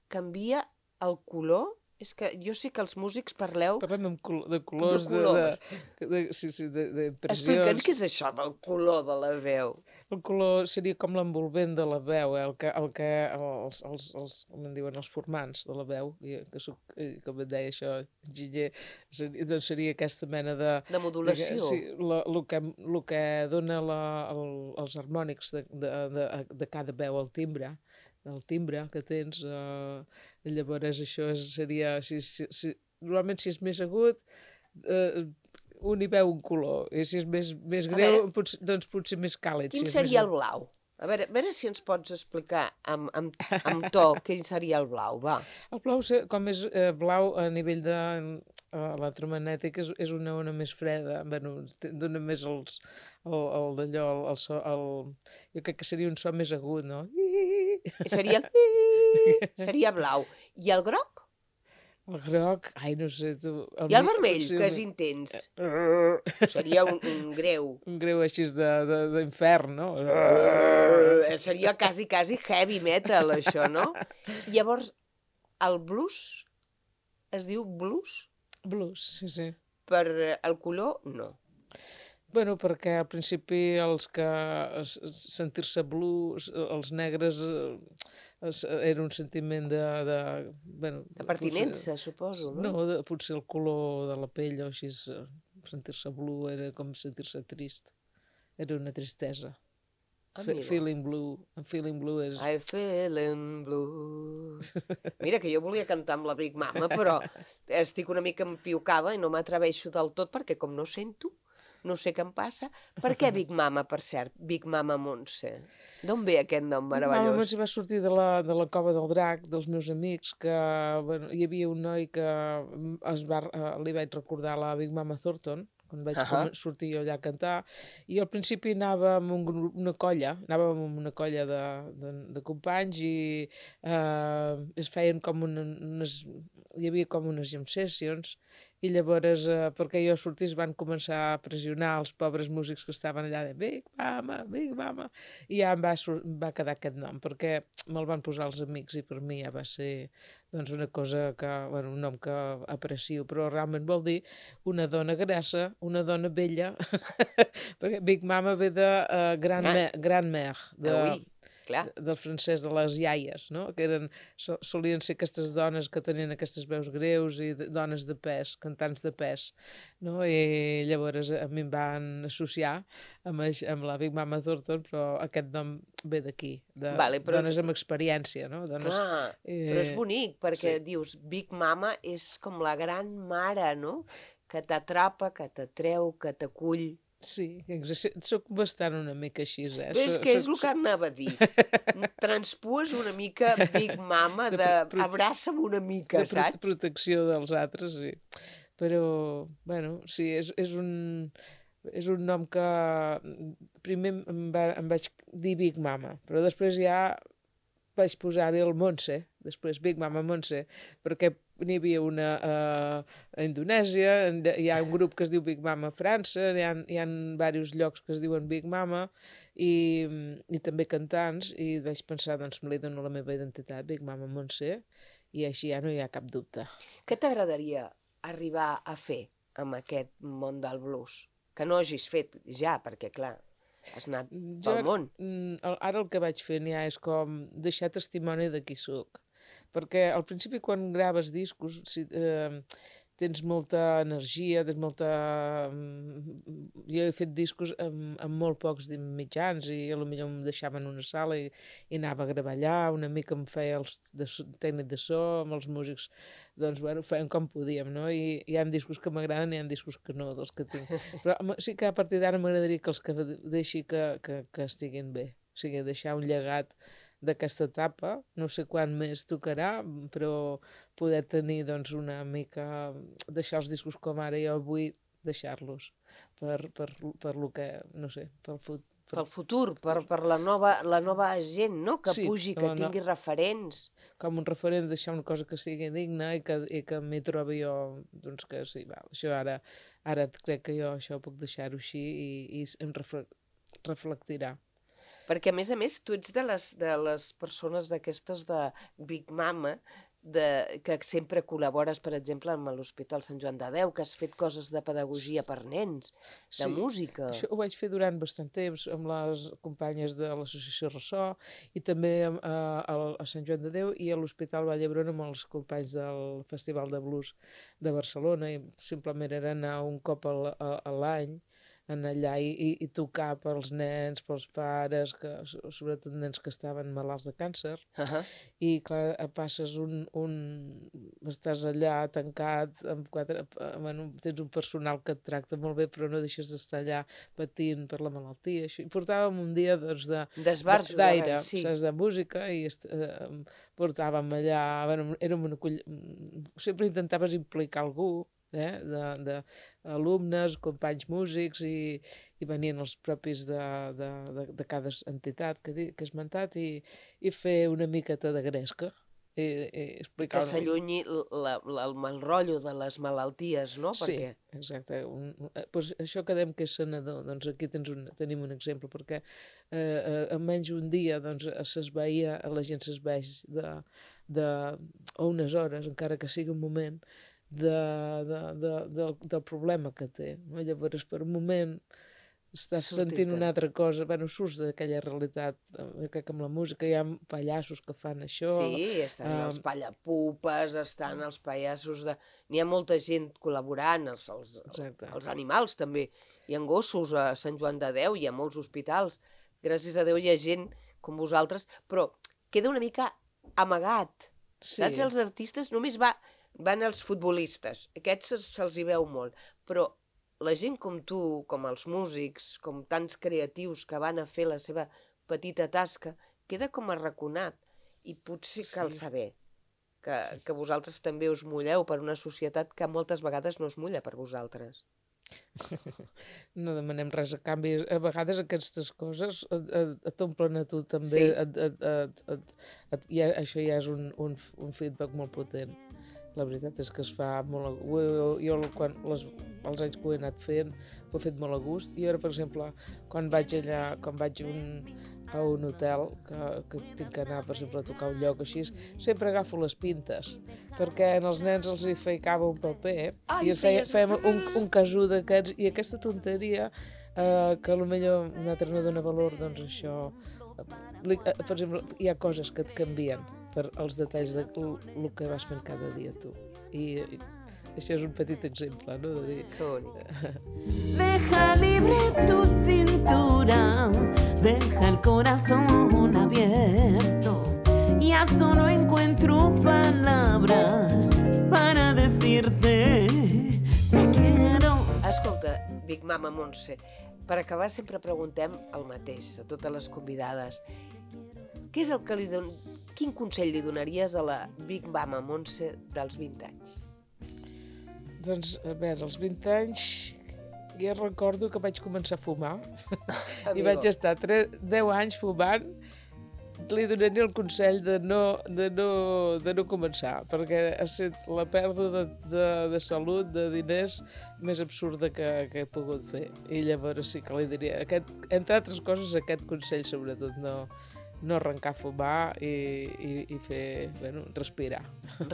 canvia el color. És que jo sé que els músics parleu... Parlem amb col de colors, de, colors. de, de, sí, sí, de, de impressions. Explica'ns què és això del color de la veu. El color seria com l'envolvent de la veu, eh? el que, el que els, els, els, com en diuen, els formants de la veu, que soc, com et deia això, enginyer, seria, doncs seria aquesta mena de... De modulació. De, sí, el que, lo que dona la, el, els harmònics de, de, de, de cada veu, el timbre, el timbre que tens, eh, llavors això és, seria, si, si, si, normalment si és més agut, eh, un hi veu un color, i si és més, més greu, veure, potser, doncs potser més càlid. Quin si seria més... el blau? A veure, a veure si ens pots explicar amb, amb, amb to quin seria el blau, va. El blau, com és eh, blau a nivell de eh, electromagnètic, és, és una ona més freda, bueno, dona més els, el, el d'allò, el, el so, el, jo crec que seria un so més agut, no? I seria el... seria blau. I el groc? El groc, ai, no sé... Tu, el I el vermell, sí, que és intens. Seria un, un greu. Un greu així d'infern, no? Seria quasi, quasi heavy metal, això, no? Llavors, el blues es diu blues? Blues, sí, sí. Per el color, no. Bueno, perquè al principi els que sentir-se blues, els negres, era un sentiment de... De, bueno, de pertinença, potser, suposo, no? No, de, potser el color de la pell o així, sentir-se blue era com sentir-se trist. Era una tristesa. Ah, feeling blue. I'm feeling blue és... I'm feeling blue. Mira, que jo volia cantar amb la Big Mama, però estic una mica empiucada i no m'atreveixo del tot perquè com no sento, no sé què em passa. Per què Big Mama, per cert? Big Mama Montse. D'on ve aquest nom meravellós? Mama Montse va sortir de la, de la cova del drac, dels meus amics, que bueno, hi havia un noi que es va, li vaig recordar la Big Mama Thornton, quan vaig uh -huh. sortir allà a cantar, i al principi anava amb un grup, una colla, anàvem amb una colla de, de, de companys i eh, es feien com una, unes, hi havia com unes jam sessions, i llavors, eh, perquè jo sortís, van començar a pressionar els pobres músics que estaven allà de Big Mama, Big Mama, i ja em va, em va quedar aquest nom, perquè me'l van posar els amics i per mi ja va ser doncs, una cosa que, bueno, un nom que aprecio, però realment vol dir una dona grassa, una dona vella, perquè Big Mama ve de uh, Grand-Mère, Grand-Mère, de... Ah, oui. Clar. Del francès de les iaies, no? Que eren, solien ser aquestes dones que tenien aquestes veus greus i de, dones de pes, cantants de pes, no? I llavors a mi em van associar amb, amb la Big Mama Thornton, però aquest nom ve d'aquí, de vale, però... dones amb experiència, no? Dones, Clar, eh... però és bonic, perquè sí. Dius, Big Mama és com la gran mare, no? Que t'atrapa, que t'atreu, que t'acull. Sí, soc bastant una mica així, eh? És que és el que anava a dir. Transpues una mica Big Mama, de, de abraça'm una mica, de saps? De protecció dels altres, sí. Però, bueno, sí, és, és un... És un nom que primer em, va, em vaig dir Big Mama, però després ja vaig posar-hi el Montse, després Big Mama Montse, perquè n'hi havia una uh, a Indonèsia, hi ha un grup que es diu Big Mama a França, hi ha, hi ha diversos llocs que es diuen Big Mama, i, i també cantants, i vaig pensar, doncs me li dono la meva identitat, Big Mama Montse, i així ja no hi ha cap dubte. Què t'agradaria arribar a fer amb aquest món del blues? Que no hagis fet ja, perquè clar, has anat pel jo, món. Ara el que vaig fent ja és com deixar testimoni de qui soc. Perquè al principi quan graves discos si, eh, tens molta energia, tens molta... Jo he fet discos amb, amb molt pocs mitjans i potser em deixaven en una sala i, i anava a gravar allà, una mica em feia el de, tècnic de so, amb els músics, doncs bueno, feien com podíem, no? I hi ha discos que m'agraden i hi ha discos que no, dels que tinc. Però sí que a partir d'ara m'agradaria que els que deixi que, que, que estiguin bé, o sigui, deixar un llegat d'aquesta etapa, no sé quan més tocarà, però poder tenir doncs, una mica, deixar els discos com ara jo vull deixar-los per, per, per lo que, no sé, pel, Pel futur, per, per la, nova, la nova gent, no? Que Sí, pugi, que la no- tingui referents. Com un referent, deixar una cosa que sigui digna i que, i que m'hi trobi jo, doncs que sí, val, això ara, ara crec que jo això puc deixar-ho així i, i em refle reflectirà. Perquè, a més a més, tu ets de les, de les persones d'aquestes de Big Mama, de, que sempre col·labores, per exemple, amb l'Hospital Sant Joan de Déu, que has fet coses de pedagogia per nens, de Sí, música. Això ho vaig fer durant bastant temps amb les companyes de l'associació Ressò i també a, a, a Sant Joan de Déu i a l'Hospital Vall d'Hebron amb els companys del Festival de Blues de Barcelona i simplement era anar un cop a, a, a l'any anar allà i, i, i tocar pels nens, pels pares, que, sobretot nens que estaven malalts de càncer. Uh -huh. I clar, passes un, un... estàs allà tancat, amb quatre... bueno, tens un personal que et tracta molt bé, però no deixes d'estar allà patint per la malaltia. Això. I portàvem un dia doncs, de D'esbarjo, d'aire, sí. saps, de música, i eh, portàvem allà... Bueno, érem una coll... Sempre intentaves implicar algú, eh, d'alumnes, companys músics, i, i venien els propis de, de, de, de cada entitat que, que he esmentat i, i fer una miqueta de gresca i, i explicar... Que s'allunyi el mal rotllo de les malalties, no? Sí, perquè... exacte. Un, pues això que dèiem que és sanador, doncs aquí tens un, tenim un exemple, perquè eh, en menys un dia doncs, s'esveia, la gent s'esveix de, de, o unes hores, encara que sigui un moment, De, de, de, de, del problema que té. No? Llavors, per un moment, estàs sentint una altra cosa, bueno, surts d'aquella realitat. Crec que amb la música hi ha pallassos que fan això. Sí, estan um, els pallapupes, estan els pallassos de... N'hi ha molta gent col·laborant, els, els, els animals també. Hi ha gossos a Sant Joan de Déu, hi ha molts hospitals. Gràcies a Déu hi ha gent com vosaltres, però queda una mica amagat. Sí. Saps? Els artistes només va... van els futbolistes, aquests se'ls hi veu molt, però la gent com tu, com els músics, com tants creatius que van a fer la seva petita tasca, queda com arraconat, i potser cal saber que, que vosaltres també us mulleu per una societat que moltes vegades no es mulla per vosaltres. No demanem res a canvi. A vegades aquestes coses t'omplen a tu també. Sí. Et, et, et, et, et, ja, això ja és un, un, un feedback molt potent. La veritat és que es fa molt... Jo, jo quan, les, els anys que ho he anat fent, ho he fet molt a gust. I ara, per exemple, quan vaig allà, quan vaig un, a un hotel, que, que tinc que anar, per exemple, a tocar un lloc així, sempre agafo les pintes, perquè als nens els hi ficava un paper, Ai, i feia, fèiem un, un casú d'aquests, i aquesta tonteria, eh, que potser un altre no dona valor, doncs això... Eh, per exemple, hi ha coses que et canvien per els detalls de el que vas fent cada dia tu. I, i això és un petit exemple, no? De dir... Que bonic. Deja libre tu cintura, deja el corazón abierto. Ya solo encuentro palabras para decirte te quiero. Escolta, Big Mama Montse, per acabar sempre preguntem el mateix a totes les convidades. Què és el que li don... Quin consell li donaries a la Big Mama Montse dels vint anys? Doncs, a veure, als vint anys jo recordo que vaig començar a fumar i vaig estar deu anys fumant. Li donaria el consell de no, de no, de no començar, perquè ha estat la pèrdua de, de, de salut, de diners, més absurda que, que he pogut fer. I llavors sí que li diria, aquest, entre altres coses, aquest consell sobretot, no, no arrencar a fumar i, i, i fer, bueno, respirar.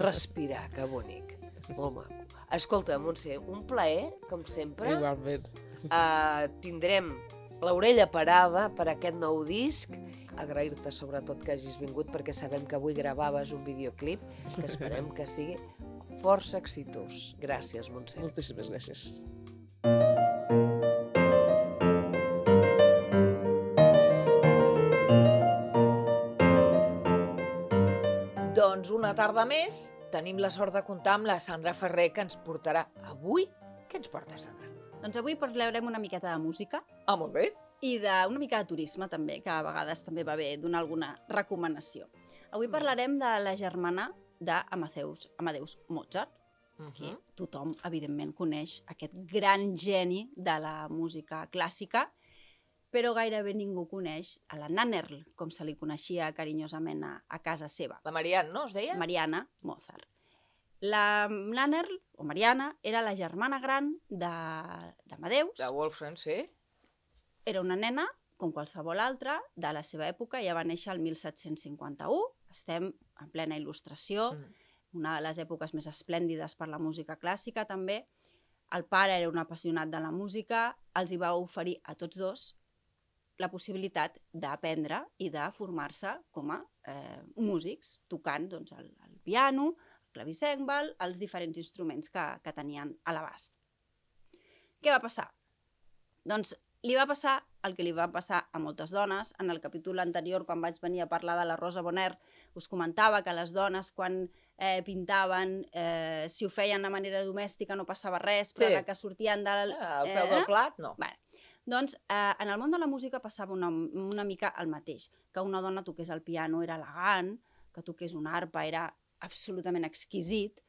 Respirar, que bonic. Molt maco. Escolta, Montse, un plaer, com sempre. Igualment. Uh, tindrem l'orella parada per aquest nou disc. Agrair-te sobretot que hagis vingut, perquè sabem que avui gravaves un videoclip que esperem que sigui força exitós. Gràcies, Montse. Moltíssimes gràcies. Doncs una tarda més tenim la sort de comptar amb la Sandra Ferrer, que ens portarà avui... Què ens porta, Sandra? Doncs avui parlarem una miqueta de música. Ah, molt bé. I d'una mica de turisme, també, que a vegades també va bé donar alguna recomanació. Avui parlarem de la germana d'Amadeus Amadeus Mozart, uh-huh. que tothom, evidentment, coneix aquest gran geni de la música clàssica, però gairebé ningú coneix a la Nannerl, com se li coneixia carinyosament a, a casa seva. La Marianne, no, es deia? Mariana Mozart. La Nannerl, o Mariana, era la germana gran d'Amadeus. De Wolfgang, sí. Era una nena, com qualsevol altra, de la seva època. Ja va néixer el mil set-cents cinquanta-u. Estem en plena il·lustració, mm. una de les èpoques més esplèndides per la música clàssica, també. El pare era un apassionat de la música, els hi va oferir a tots dos la possibilitat d'aprendre i de formar-se com a eh, músics, tocant doncs, el, el piano, el clavicèmbal, els diferents instruments que, que tenien a l'abast. Què va passar? Doncs li va passar el que li va passar a moltes dones. En el capítol anterior, quan vaig venir a parlar de la Rosa Bonheur, us comentava que les dones, quan eh, pintaven, eh, si ho feien de manera domèstica no passava res, però sí. que sortien del... Ah, al peu eh? del plat, no. Bé, doncs, eh, en el món de la música passava una, una mica el mateix, que una dona toqués el piano era elegant, que toqués una arpa era absolutament exquisit,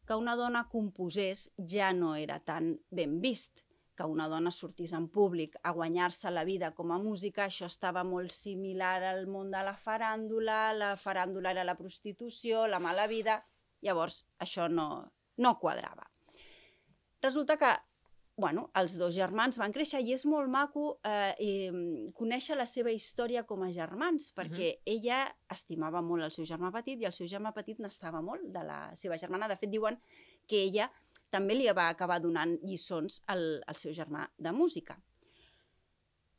que una dona composés ja no era tan ben vist, que una dona sortís en públic a guanyar-se la vida com a música, això estava molt similar al món de la faràndula, la faràndula era la prostitució, la mala vida, llavors això no, no quadrava. Resulta que bueno, els dos germans van créixer i és molt maco eh, i, conèixer la seva història com a germans, perquè uh-huh. ella estimava molt el seu germà petit i el seu germà petit n'estava molt de la seva germana. De fet, diuen que ella també li va acabar donant lliçons al, al seu germà de música.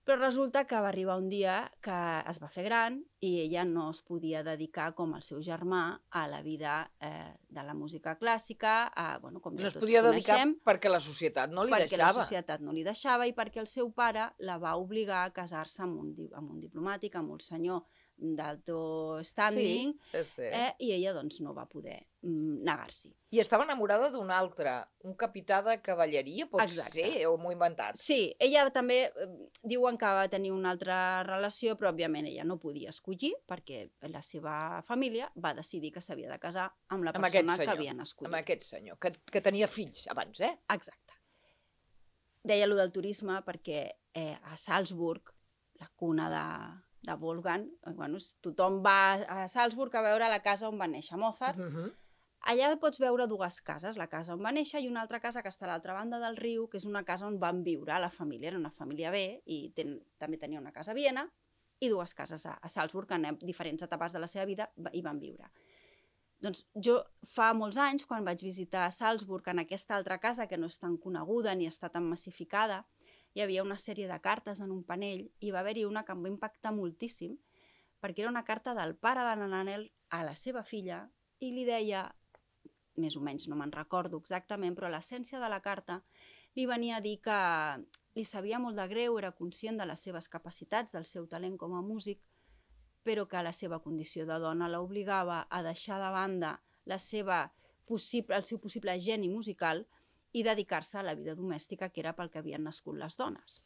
Però resulta que va arribar un dia que es va fer gran i ella no es podia dedicar com el seu germà a la vida eh, de la música clàssica, a, bueno, com ja no tots coneixem. No es podia dedicar perquè la societat no li perquè deixava. Perquè la societat no li deixava i perquè el seu pare la va obligar a casar-se amb un, amb un diplomàtic, amb un senyor d'alto standing, sí, sí. Eh, i ella doncs no va poder mm, negar-s'hi. I estava enamorada d'un altre, un capità de cavalleria, pot Exacte. ser, o m'ho he inventat? Sí, ella també eh, diuen que va tenir una altra relació, però òbviament ella no podia escollir perquè la seva família va decidir que s'havia de casar amb la amb persona que havien escollit. Amb aquest senyor, que, que tenia fills abans, eh? Exacte. Deia allò del turisme perquè eh, a Salzburg, la cuna de... de Wolfgang, bueno, tothom va a Salzburg a veure la casa on va néixer Mozart. Uh-huh. Allà pots veure dues cases, la casa on va néixer i una altra casa que està a l'altra banda del riu, que és una casa on van viure la família, era una família bé, i ten, també tenia una casa a Viena i dues cases a, a Salzburg, que en diferents etapes de la seva vida hi van viure. Doncs jo fa molts anys, quan vaig visitar Salzburg, en aquesta altra casa que no és tan coneguda ni està tan massificada, hi havia una sèrie de cartes en un panell i va haver-hi una que em va impactar moltíssim perquè era una carta del pare de la Nannerl a la seva filla i li deia, més o menys no me'n recordo exactament, però l'essència de la carta li venia a dir que li sabia molt de greu, era conscient de les seves capacitats, del seu talent com a músic, però que la seva condició de dona l'obligava a deixar de banda la seva possible, el seu possible geni musical i dedicar-se a la vida domèstica, que era pel que havien nascut les dones.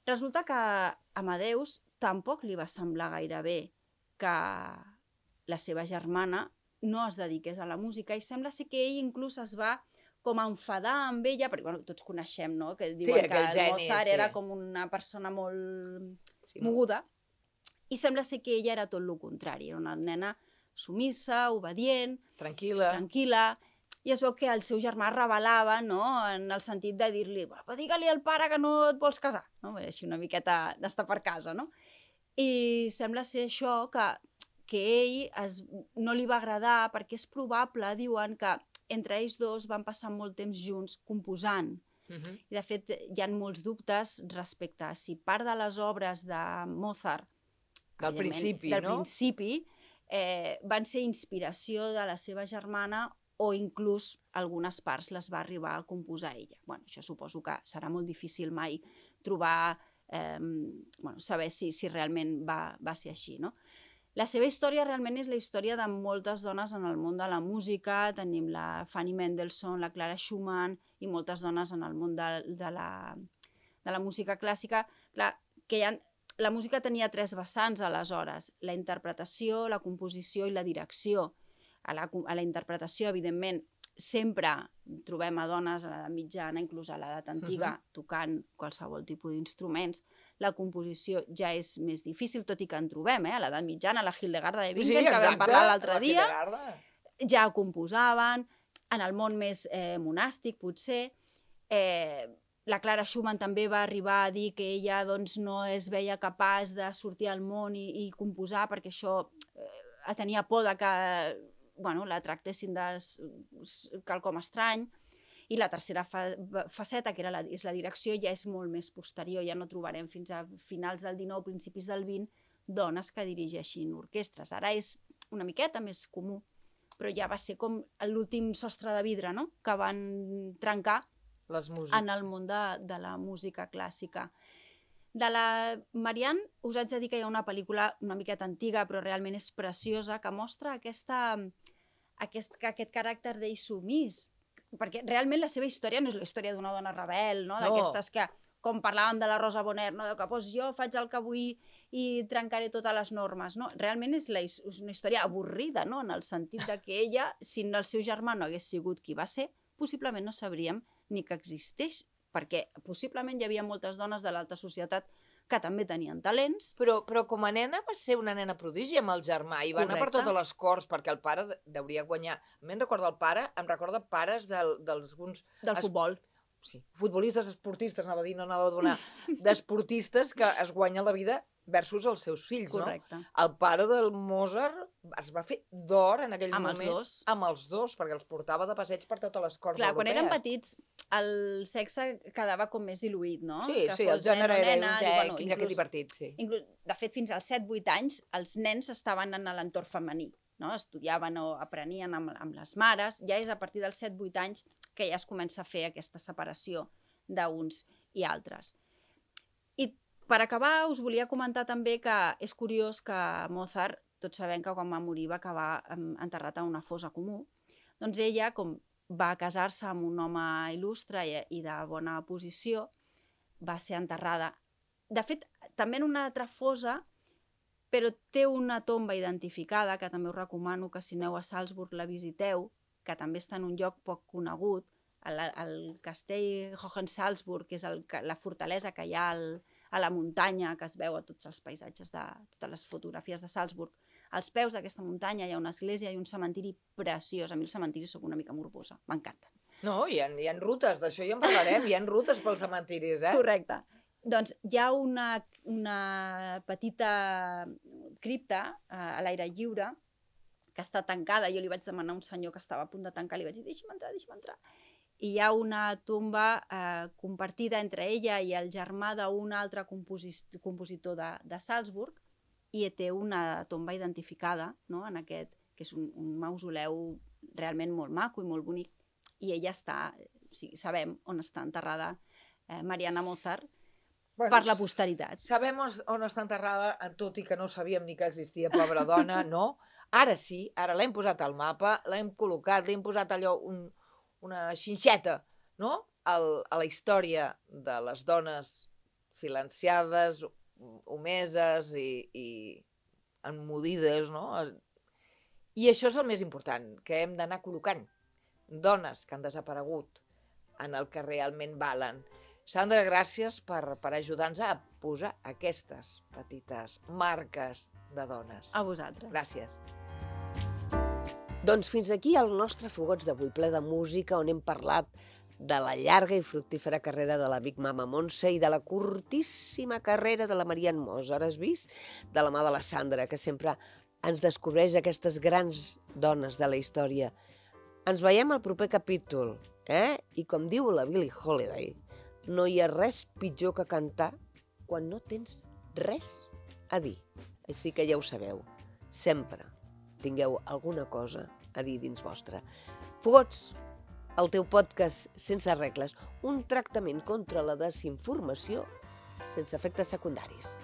Resulta que a Amadeus tampoc li va semblar gaire bé que la seva germana no es dediqués a la música i sembla ser que ell inclús es va com a enfadar amb ella, perquè bueno, tots coneixem, no?, que diuen sí, que el geni, Mozart sí. era com una persona molt sí, moguda, i sembla ser que ella era tot el contrari, era una nena sumissa, obedient, tranquil·la, tranquil·la, i es veu que el seu germà revelava, no?, en el sentit de dir-li, però digue-li al pare que no et vols casar, no?, així una miqueta d'estar per casa, no? I sembla ser això que, que ell es, no li va agradar perquè és probable, diuen, que entre ells dos van passar molt temps junts composant. uh-huh. I de fet hi ha molts dubtes respecte a si part de les obres de Mozart del principi, del no? principi eh, van ser inspiració de la seva germana o inclús algunes parts les va arribar a composar ella. Bueno, això suposo que serà molt difícil mai trobar, eh, bueno, saber si, si realment va, va ser així, no? La seva història realment és la història de moltes dones en el món de la música. Tenim la Fanny Mendelssohn, la Clara Schumann i moltes dones en el món de, de, la, de la música clàssica. Clar, que hi ha, la música tenia tres vessants aleshores, la interpretació, la composició i la direcció. A la, a la interpretació, evidentment, sempre trobem a dones a l'edat mitjana, inclús a l'edat antiga, uh-huh. tocant qualsevol tipus d'instruments. la composició ja és més difícil, tot i que en trobem, eh? A l'edat mitjana, la Hildegarda de Bingen, Sí, que vam exacte, parlar l'altre la dia, Hildegarda. ja composaven, en el món més eh, monàstic, potser. Eh, la Clara Schumann també va arribar a dir que ella doncs, no es veia capaç de sortir al món i, i composar perquè això eh, tenia por de que bueno, la tractessin de quelcom estrany. I la tercera fa faceta, que era la, és la direcció, ja és molt més posterior. Ja no trobarem fins a finals del dinou, principis del vint, dones que dirigeixin orquestres. Ara és una miqueta més comú, però ja va ser com l'últim sostre de vidre, no?, que van trencar Les músics. en el món de, de la música clàssica. De la Marianne us haig de dir que hi ha una pel·lícula una miqueta antiga, però realment és preciosa, que mostra aquesta, aquest, aquest caràcter d'ell sumís, perquè realment la seva història no és la història d'una dona rebel, no? D'aquestes que, com parlàvem de la Rosa Bonheur, no? que pues, jo faig el que vull i trencaré totes les normes. No? Realment és, la, és una història avorrida, no? En el sentit de que ella, si el seu germà no hagués sigut qui va ser, possiblement no sabríem ni que existeix, perquè possiblement hi havia moltes dones de l'alta societat que també tenien talents. Però, però com a nena va ser una nena prodigi amb el germà i va anar per Correcte. totes les corts perquè el pare de- deuria guanyar. A mi em recorda el pare, em recorda pares del, dels alguns Del Es- futbol. sí, futbolistes, esportistes, anava a dir, no anava a donar, d'esportistes que es guanyen la vida versus els seus fills, Correcte. no? El pare del Mozart es va fer d'or en aquell Amb els moment. dos. Amb els dos, perquè els portava de passeig per totes les corts Clar, quan europees. eren petits, el sexe quedava com més diluït, no? Sí, que sí, el fos nen gènere o era nena, un i, tec, bueno, mira que inclús- divertit, sí. Inclús, de fet, fins als set vuit anys, els nens estaven en l'entorn femení, no? Estudiaven o aprenien amb, amb les mares. Ja és a partir dels set vuit anys que ja es comença a fer aquesta separació d'uns i altres. I per acabar, us volia comentar també que és curiós que Mozart, tots sabem que quan va morir va acabar em, enterrat a una fossa comú. Doncs ella, com va casar-se amb un home il·lustre i, i de bona posició, va ser enterrada. De fet, també en una altra fossa, però té una tomba identificada, que també us recomano que si aneu a Salzburg la visiteu, que també està en un lloc poc conegut, el, el castell Hohensalzburg, que és el, la fortalesa que hi ha al, a la muntanya, que es veu a tots els paisatges, de totes les fotografies de Salzburg. Als peus d'aquesta muntanya hi ha una església i un cementiri preciós. A mi els cementiris soc una mica morbosa, m'encanten. No, hi ha, hi ha rutes, d'això ja en parlarem, hi ha rutes pels cementiris, eh? Correcte. Doncs hi ha una, una petita cripta eh, a l'aire lliure que està tancada. Jo li vaig demanar a un senyor que estava a punt de tancar, li vaig dir, deixa'm entrar, deixa'm entrar. I hi ha una tomba eh, compartida entre ella i el germà d'un altre composis compositor de, de Salzburg, i té una tomba identificada, no?, en aquest, que és un, un mausoleu realment molt maco i molt bonic, i ella està, o sigui, sabem on està enterrada eh, Mariana Mozart, Bueno, per la posteritat. Sabem on, on està enterrada, tot i que no sabíem ni que existia, pobra dona, no? Ara sí, ara l'hem posat al mapa, l'hem col·locat, l'hem posat allò, un, una xinxeta, no?, al, a la història de les dones silenciades, omeses i, i emmudides, no? I això és el més important, que hem d'anar col·locant dones que han desaparegut en el que realment valen. Sandra, gràcies per, per ajudar-nos a posar aquestes petites marques de dones. A vosaltres. Gràcies. Doncs fins aquí el nostre Fogots d'avui, ple de música, on hem parlat de la llarga i fructífera carrera de la Big Mama Montse i de la curtíssima carrera de la Marianne Mozart. Has vist? De la mà de la Sandra, que sempre ens descobreix aquestes grans dones de la història. Ens veiem al proper capítol, eh? I com diu la Billie Holiday, no hi ha res pitjor que cantar quan no tens res a dir. Així que ja ho sabeu, sempre tingueu alguna cosa a dir dins vostre. Fogots, el teu podcast sense regles, un tractament contra la desinformació sense efectes secundaris.